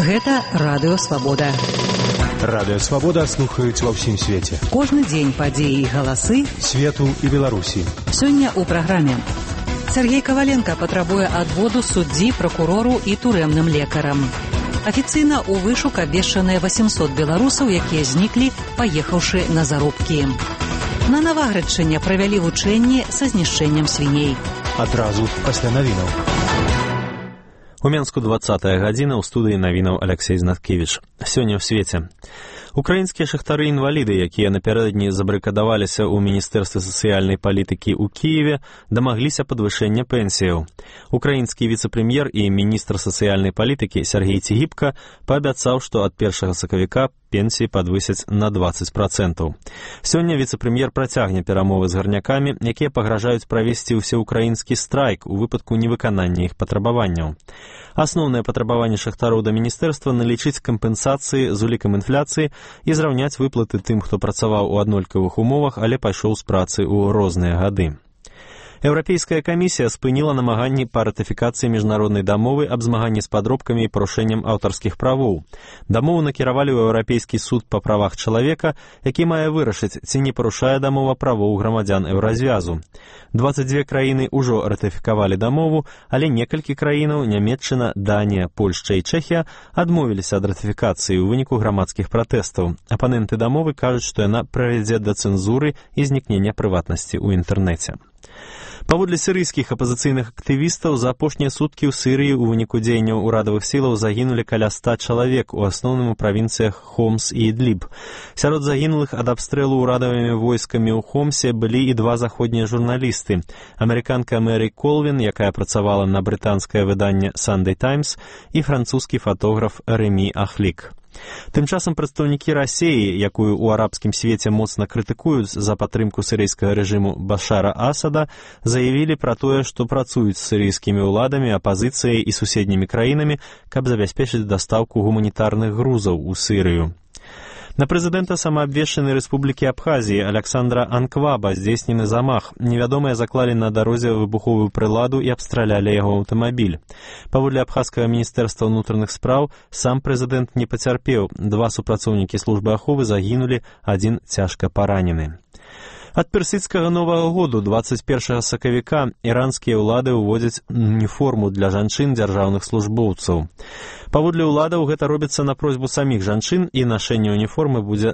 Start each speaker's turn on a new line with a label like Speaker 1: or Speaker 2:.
Speaker 1: Гэта Радыё Свабода.
Speaker 2: Радыё Свабода слухаюць ва ўсім свеце.
Speaker 1: Кожны дзень падзеі і галасы
Speaker 2: свету і Беларусі.
Speaker 1: Сёння ў праграме. Сергей Коваленко патрабуе адводу суддзі, пракурору і турэмным лекарам. Афіцыйна ў вышук абвешчаныя 800 беларусаў, якія зніклі, паехаўшы на заробкі. На Наваградчыне правялі вучэнні са знішчэннем свіней.
Speaker 2: Адразу пасля навінаў.
Speaker 3: У Менску 20-я гадзіна, ў студыі навінаў Алексей Знаткевіч. Сёння ў свеце. Украінскія шахтары-інваліды, якія напярэдадні забарыкадаваліся ў Міністэрстве сацыяльнай палітыкі ў Кіеве, дамагліся падвышэння пенсіяў. Украінскі віцэ-прэм'ер і міністр сацыяльнай палітыкі Сергей Цігіпка паабяцаў, што ад 1 сакавіка пенсіі падвысяць на 20%. Сёння віцэ-прэм'ер працягне перамовы з гарнякамі, якія пагражаюць правесці ўсеўкраінскі страйк у выпадку невыканання іх патрабаванняў. Асноўнае патрабаванне шахтароў да міністэрства налічыць кампенсацыі з улікам інфляцыі і зраўняць выплаты тым, хто працаваў у аднолькавых умовах, але пайшоў з працы ў розныя гады. Еўрапейская камісія спыніла намаганні па ратыфікацыі міжнароднай дамовы аб змаганні з падробкамі і парушэннем аўтарскіх правоў. Дамову накіравалі ў Еўрапейскі суд па правах чалавека, які мае вырашыць, ці не парушае дамова правоў грамадзян еўразвязу. 22 краіны ўжо ратыфікавалі дамову, але некалькі краінаў, Нямецчына, Данія, Польшча і Чэхія, адмовіліся ад ратыфікацыі ў выніку грамадскіх пратэстаў. Апаненты дамовы кажуць, што яна прывядзе да цэнзуры і знікнення прыватнасці ў інтэрнэце. Паводле сірыйскіх апазіцыйных актывістаў, за апошнія суткі ў Сірыі ў выніку дзеянняў урадавых сілаў загінулі каля 100 чалавек, у асноўным у правінцыях Хомс і Ідліб. Сярод загінулых ад абстрэлу урадавымі войскамі ў Хомсе былі і два заходнія журналісты. Амерыканка Мэри Колвін, якая працавала на брытанскае выданне Sunday Times, і французскі фатограф Рэмі Ахлік. Тым часам прадстаўнікі Расіі, якую ў арабскім свеце моцна крытыкуюць за падтрымку сірыйскага рэжыму Башара Асада, заявілі пра тое, што працуюць з сірыйскімі ўладамі, апазіцыяй і суседнімі краінамі, каб забяспечыць дастаўку гуманітарных грузаў у Сірыю. На прэзідэнта самаабвешчанай рэспублікі Абхазіі Аляксандра Анкваба здзейснены замах. Невядомыя заклалі на дарозе выбуховую прыладу і абстралялі яго аўтамабіль. Паводле абхазскага міністэрства ўнутраных спраў, сам прэзідэнт не пацярпеў. 2 супрацоўнікі службы аховы загінулі, 1 цяжка паранены. Ад персідскага Новага году 21 сакавіка іранскія ўлады ўводзяць уніформу для жанчын дзяржаўных службоўцаў. Паводле ўладаў гэта робіцца на просьбу саміх жанчын, і нашэнне уніформы будзе